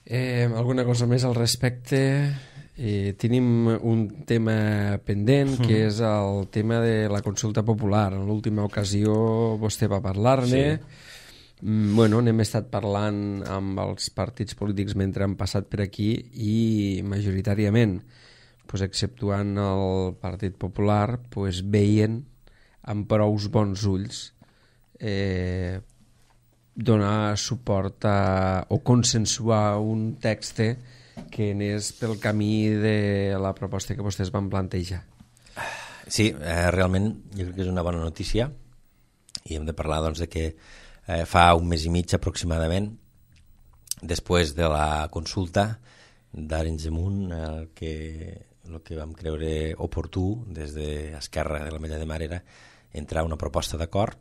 Eh, alguna cosa més al respecte? Eh, tenim un tema pendent, mm. que és el tema de la consulta popular. En l'última ocasió vostè va parlar-ne. Sí. Mm, bueno, n'hem estat parlant amb els partits polítics mentre han passat per aquí i majoritàriament, pues, exceptuant el Partit Popular, pues, veien amb prous bons ulls eh, donar suport a, o consensuar un text que anés pel camí de la proposta que vostès van plantejar. Sí, eh, realment jo crec que és una bona notícia i hem de parlar doncs, de que eh, fa un mes i mig aproximadament, després de la consulta d'Arenys de Munt, el que, el que vam creure oportú des d'Esquerra de l'Ametlla de Mar era entrar una proposta d'acord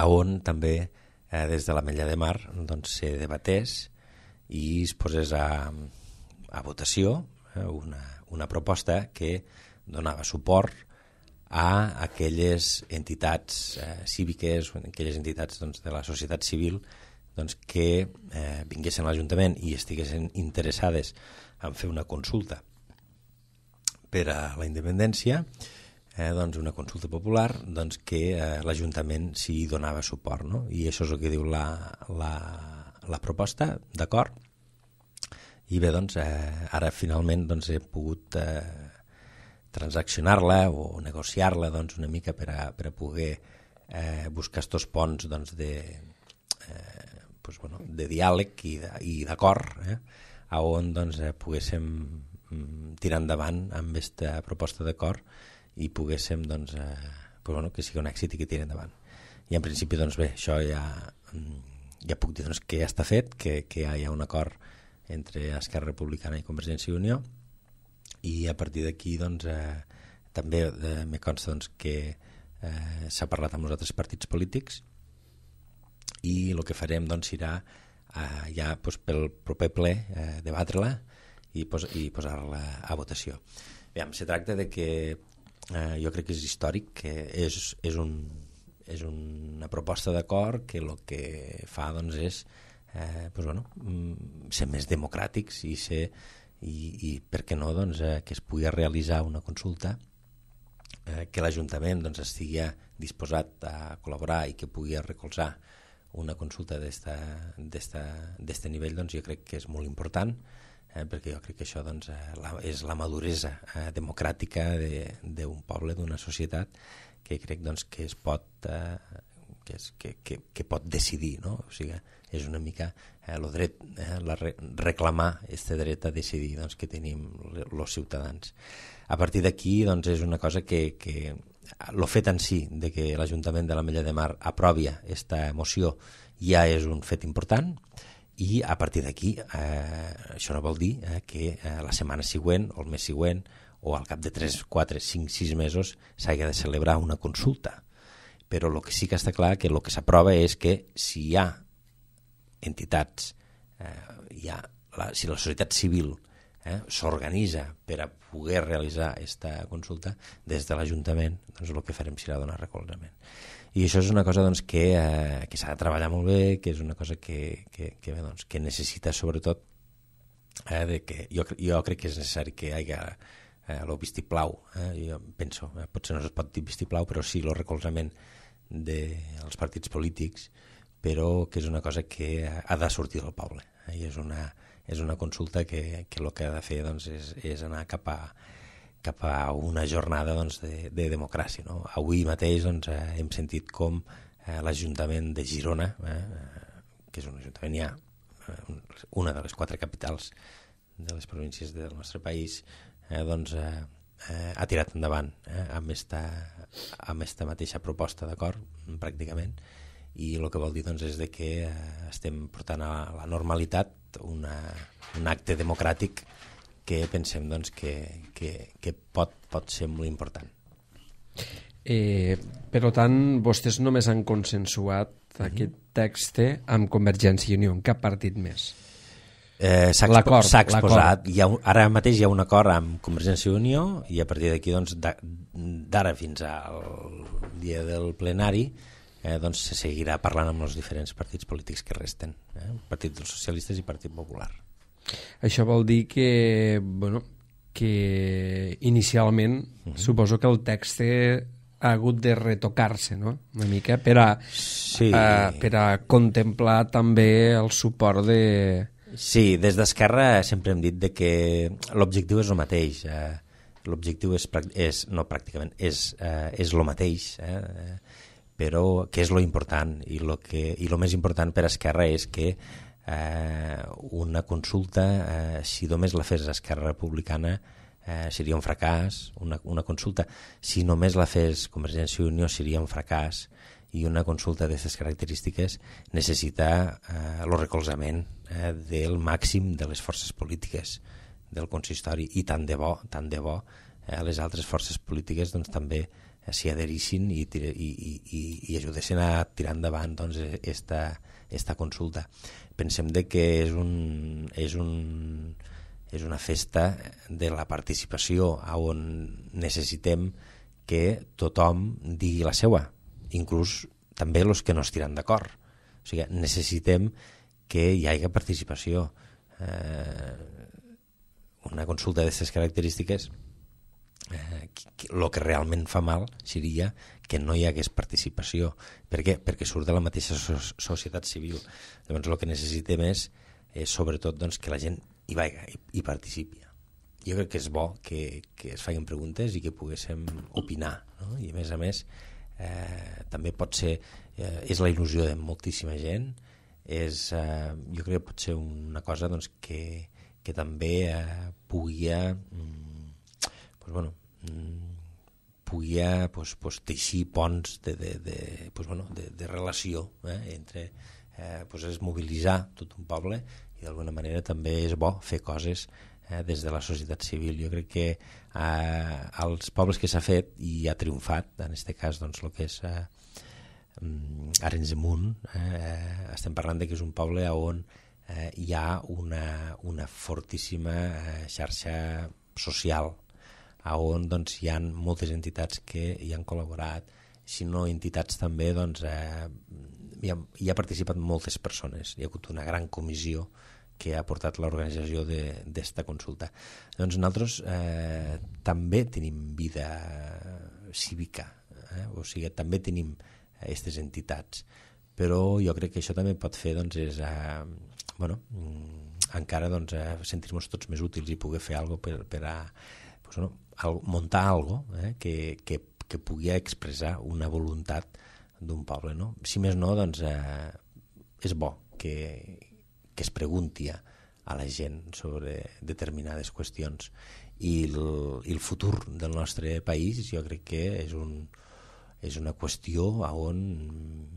on també eh, des de l'Ametlla de Mar doncs, se debatés i es posés a, a votació eh, una, una proposta que donava suport a aquelles entitats eh, cíviques, aquelles entitats doncs, de la societat civil doncs, que eh, vinguessin a l'Ajuntament i estiguessin interessades en fer una consulta per a la independència, eh, doncs una consulta popular doncs, que eh, l'Ajuntament s'hi donava suport, no? I això és el que diu la, la, la proposta, d'acord? I bé, doncs, eh, ara finalment doncs, he pogut eh, transaccionar-la o negociar-la doncs, una mica per a, per a poder eh, buscar estos ponts doncs, de, eh, pues, bueno, de diàleg i de, i d'acord, eh, a on doncs, eh, poguéssim tirar endavant amb aquesta proposta d'acord i poguéssim doncs, eh, pues, bueno, que sigui un èxit i que tiri endavant. I en principi, doncs bé, això ja, ja puc dir doncs, que ja està fet, que, que ja hi ha un acord entre Esquerra Republicana i Convergència i Unió, i a partir d'aquí doncs, eh, també eh, me consta doncs, que eh, s'ha parlat amb els altres partits polítics i el que farem doncs, serà eh, ja doncs, pel proper ple eh, debatre-la i, pos i posar-la a votació. Aviam, se tracta de que eh, jo crec que és històric, que és, és, un, és una proposta d'acord que el que fa doncs, és Eh, pues bueno, ser més democràtics i, ser, i, i per què no doncs, eh, que es pugui realitzar una consulta, eh, que l'Ajuntament doncs, estigui disposat a col·laborar i que pugui recolzar una consulta d'aquest nivell, doncs, jo crec que és molt important, eh, perquè jo crec que això doncs, eh, la, és la maduresa eh, democràtica d'un poble, d'una societat, que crec doncs, que es pot... Eh, Que, és, que, que, que pot decidir, no? O sigui, és una mica eh, el dret, eh, la re, reclamar este dret a decidir doncs, que tenim els ciutadans. A partir d'aquí doncs, és una cosa que, que el fet en si de que l'Ajuntament de l'Ametlla de Mar aprovi aquesta moció ja és un fet important, i a partir d'aquí eh, això no vol dir eh, que eh, la setmana següent o el mes següent o al cap de tres, quatre, cinc, sis mesos s'hagi de celebrar una consulta. Però el que sí que està clar que el que s'aprova és que si hi ha entitats, eh, hi ha la, si la societat civil eh, s'organitza per a poder realitzar aquesta consulta, des de l'Ajuntament doncs el que farem serà donar recolzament. I això és una cosa doncs, que, eh, que s'ha de treballar molt bé, que és una cosa que, que, que, bé, doncs, que necessita sobretot eh, de que jo, jo crec que és necessari que hi hagi eh, el vistiplau, eh, jo penso, eh, potser no es pot dir vistiplau, però sí el recolzament dels partits polítics, però que és una cosa que ha de sortir del poble, eh, i és una, és una consulta que, que el que ha de fer doncs, és, és anar cap a, cap a una jornada doncs, de, de democràcia. No? Avui mateix doncs, eh, hem sentit com eh, l'Ajuntament de Girona, eh, que és un ajuntament ja, eh, una de les quatre capitals de les províncies del nostre país, eh, doncs, eh, eh, ha tirat endavant eh, amb esta, amb esta mateixa proposta d'acord, pràcticament, i el que vol dir doncs, és de que eh, estem portant a la normalitat una, un acte democràtic que pensem doncs, que, que, que pot, pot ser molt important. Eh, per tant, vostès només han consensuat uh-huh. aquest text amb Convergència i Unió, en cap partit més? Eh, s'ha expo exposat, hi ha un, ara mateix hi ha un acord amb Convergència i Unió, i a partir d'aquí doncs, d'ara fins al dia del plenari eh, doncs, se seguirà parlant amb els diferents partits polítics que resten, eh? Partit dels Socialistes i Partit Popular. Això vol dir que, bueno, que inicialment uh-huh. suposo que el text ha hagut de retocar-se, no? Una mica per a, sí. a, per a contemplar també el suport de... Sí, des d'Esquerra sempre hem dit de que l'objectiu és el mateix. Eh, l'objectiu és, és, no pràcticament, és, eh, és el mateix, eh, però que és lo important, i lo, que, i lo més important per a Esquerra és que eh, una consulta, eh, si només la fes Esquerra Republicana, eh, seria un fracàs. Una, una consulta, si només la fes Convergència i Unió, seria un fracàs. I una consulta d'aquestes característiques necessita eh, el recolzament eh, del màxim de les forces polítiques del consistori, i tant de bo, tant de bo eh, les altres forces polítiques doncs, també eh, s'hi adherissin i, i, i, i, i ajudessin a tirar endavant doncs, esta, esta consulta. Pensem de que és, un, és, un, és una festa de la participació on necessitem que tothom digui la seua, inclús també els que no estiran d'acord. O sigui, necessitem que hi hagi participació. Eh, una consulta d'aquestes característiques, eh, el que realment fa mal seria que no hi hagués participació. Per què? Perquè surt de la mateixa so societat civil. Llavors el que necessitem és, és sobretot doncs, que la gent i, vaiga, i, i participi. Jo crec que és bo que, que es facin preguntes i que poguéssim opinar, no? I a més a més eh, també pot ser eh, és la il·lusió de moltíssima gent, és, eh, jo crec que pot ser una cosa doncs, que, que també eh, pugui mm, pues, bueno, mm, pugui pues, pues, teixir ponts de, de, de, pues, bueno, de, de relació eh, entre eh, pues, és mobilitzar tot un poble i d'alguna manera també és bo fer coses eh, des de la societat civil. Jo crec que eh, als pobles que s'ha fet i ha triomfat, en aquest cas doncs, el que és eh, Arenys de Munt, eh, estem parlant de que és un poble on eh, hi ha una, una fortíssima eh, xarxa social, on doncs, hi ha moltes entitats que hi han col·laborat, si no entitats també doncs, eh, hi, ha, hi ha participat moltes persones, hi ha hagut una gran comissió que ha portat l'organització d'esta consulta. Doncs nosaltres eh, també tenim vida cívica, eh? O sigui, també tenim aquestes entitats, però jo crec que això també pot fer doncs, és, eh, bueno, encara doncs, eh, sentir-nos tots més útils i poder fer alguna cosa per, per a, pues, no, al, muntar alguna cosa eh, que, que, que pugui expressar una voluntat d'un poble. No? Si més no, doncs, eh, és bo que, que es pregunti a, a la gent sobre determinades qüestions i el, i el futur del nostre país jo crec que és un és una qüestió on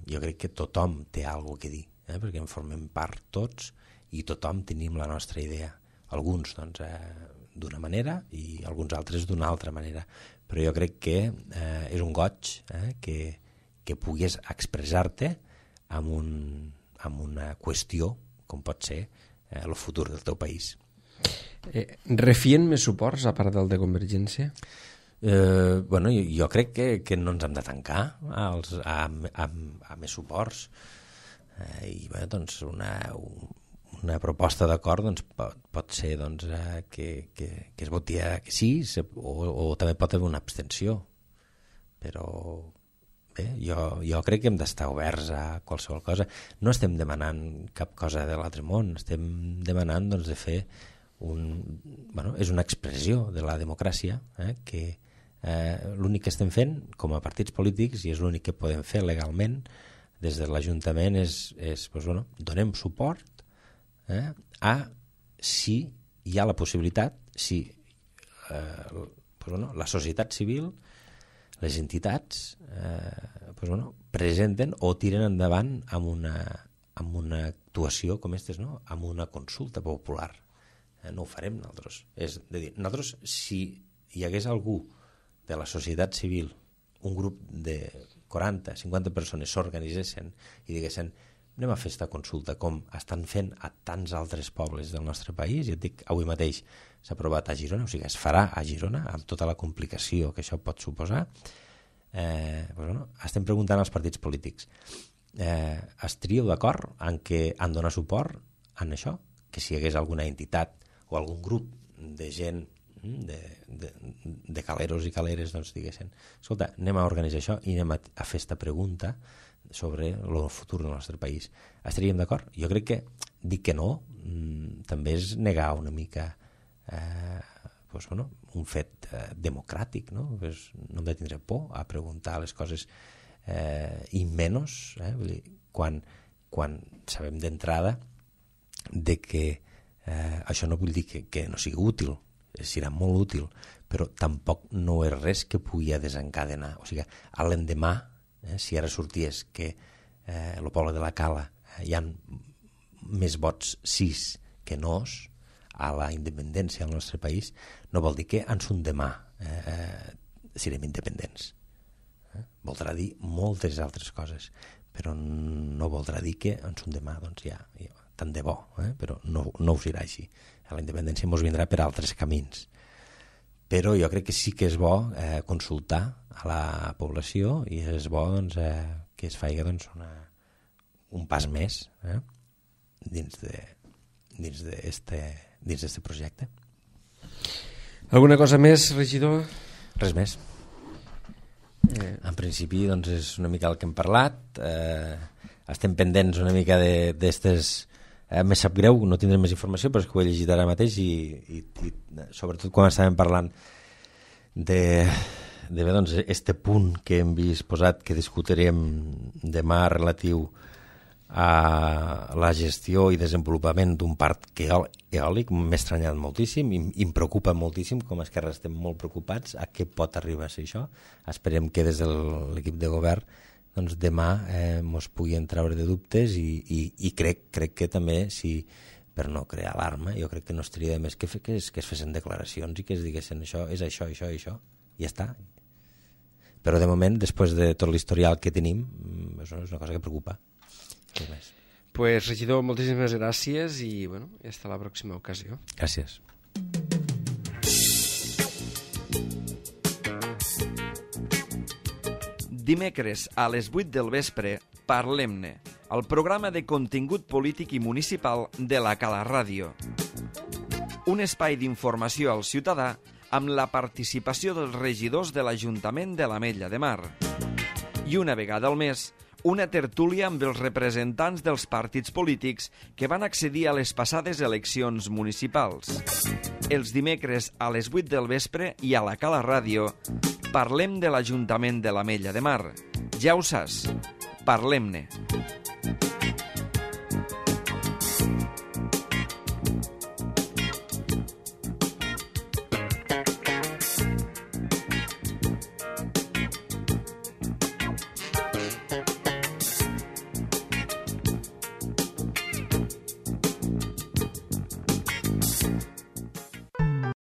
jo crec que tothom té alguna cosa a dir, eh? Perquè en formem part tots i tothom tenim la nostra idea. Alguns doncs, eh, d'una manera i alguns altres d'una altra manera. Però jo crec que eh, és un goig eh, que, que puguis expressar-te amb, un, amb una qüestió com pot ser eh, el futur del teu país. Eh, refien més suports a part del de Convergència? Eh, bueno, jo, jo crec que, que no ens hem de tancar als, a, a, a més suports eh, i bé, doncs una, una proposta d'acord doncs, pot, pot ser doncs, eh, que, que, que es voti que sí se, o, o també pot haver una abstenció, però bé, jo, jo crec que hem d'estar oberts a qualsevol cosa. No estem demanant cap cosa de l'altre món, estem demanant doncs, de fer un, bueno, és una expressió de la democràcia eh, que Eh, l'únic que estem fent com a partits polítics i és l'únic que podem fer legalment des de l'Ajuntament és, és doncs, bueno, donem suport eh, a si hi ha la possibilitat, si eh, doncs, bueno, la societat civil, les entitats eh, doncs, bueno, presenten o tiren endavant amb una, amb una actuació com aquestes, no? Amb una consulta popular. Eh, no ho farem nosaltres. És de dir, nosaltres si hi hagués algú de la societat civil, un grup de quaranta cinquanta persones s'organitzessin i diguessin anem a fer aquesta consulta com estan fent a tants altres pobles del nostre país, i et dic, avui mateix s'ha aprovat a Girona, o sigui, es farà a Girona amb tota la complicació que això pot suposar, eh, doncs, bueno, estem preguntant als partits polítics eh, estríeu d'acord en què han donat suport en això, que si hi hagués alguna entitat o algun grup de gent de, de, de caleros i caleres doncs diguessin, escolta, anem a organitzar això i anem a, a fer esta pregunta sobre el futur del nostre país. Estaríem d'acord? Jo crec que dir que no mmm, també és negar una mica eh, doncs, bueno, un fet eh, democràtic, no? Pues no hem de tindre por a preguntar les coses eh, i menys eh, vull dir, quan, quan sabem d'entrada de que eh, això no vull dir que, que no sigui útil, serà molt útil, però tampoc no és res que pugui desencadenar. O sigui, a l'endemà, eh, si ara sorties que eh, el poble de la Cala eh, hi ha més vots sis que nos a la independència del nostre país, no vol dir que ens un demà eh, serem independents. Eh? Voldrà dir moltes altres coses, però no voldrà dir que ens un demà doncs ja, ja tant de bo, eh? Però no, no ho serà així. La independència ens vindrà per altres camins. Però jo crec que sí que és bo eh, consultar a la població i és bo doncs, eh, que es faci doncs, una, un pas més eh, dins de dins d'este dins d'este projecte. Alguna cosa més, regidor? Res més. Eh. En principi doncs, és una mica el que hem parlat. Eh, estem pendents una mica d'estes Eh, me sap greu, no tindrem més informació, però és que ho he llegit ara mateix i, i, i sobretot quan estàvem parlant de, de bé, doncs, este punt que hem vist posat, que discutirem demà relatiu a la gestió i desenvolupament d'un parc eòlic, m'he estranyat moltíssim i em preocupa moltíssim, com a Esquerra estem molt preocupats a què pot arribar a ser això. Esperem que des de l'equip de govern doncs demà eh, mos puguin treure de dubtes i, i, i crec, crec que també, si, per no crear alarma, jo crec que no estaria de més que, fe, que, es, que es fessin declaracions i que es diguessin això, és això, això i això, i ja està. Però de moment, després de tot l'historial que tenim, és una cosa que preocupa. Pues, regidor, moltíssimes gràcies i bueno, hasta la pròxima ocasió. Gràcies. Dimecres a les vuit del vespre, Parlem-ne, el programa de contingut polític i municipal de la Cala Ràdio. Un espai d'informació al ciutadà amb la participació dels regidors de l'Ajuntament de l'Ametlla de Mar. I una vegada al mes, una tertúlia amb els representants dels partits polítics que van accedir a les passades eleccions municipals. Els dimecres a les vuit del vespre i a la Cala Ràdio parlem de l'Ajuntament de l'Ametlla de Mar. Ja ho saps, parlem-ne.